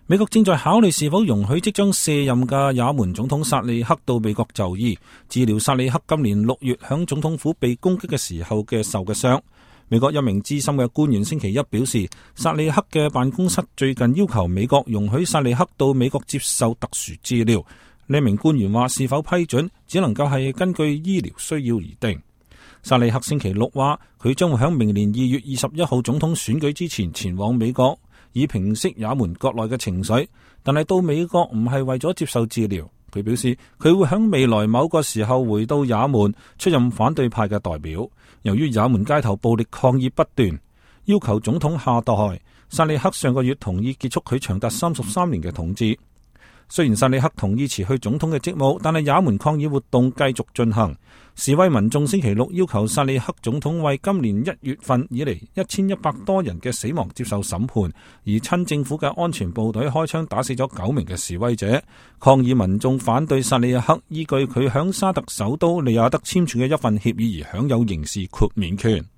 美國正在考慮是否容許即將卸任嘅也門總統薩利克到美國就醫，治療薩利克今年6月響總統府被攻擊嘅時候嘅受嘅傷。美國一名資深嘅官員星期一表示，薩利克嘅辦公室最近要求美國容許薩利克到美國接受特殊治療。呢名官員話，是否批准只能夠係根據醫療需要而定。薩利克星期六話，佢將會喺明年2月21號總統選舉之前前往美國，以平息也門國內嘅情緒，但係到美國唔係為咗接受治療。佢表示佢會喺未來某個時候回到也門出任反對派嘅代表。由於也門街頭暴力抗議不斷，要求總統下台，薩利克上個月同意結束佢長達33年嘅統治。雖然薩利克同意辭去總統嘅職務，但係也門抗議活動繼續進行。示威民眾星期六要求薩利克總統為今年1月份以嚟1100多人嘅死亡接受審判，而親政府嘅安全部隊開槍打死咗9名嘅示威者。抗議民眾反對薩利克依據佢響沙特首都利雅得簽署嘅一份協議而享有刑事豁免權。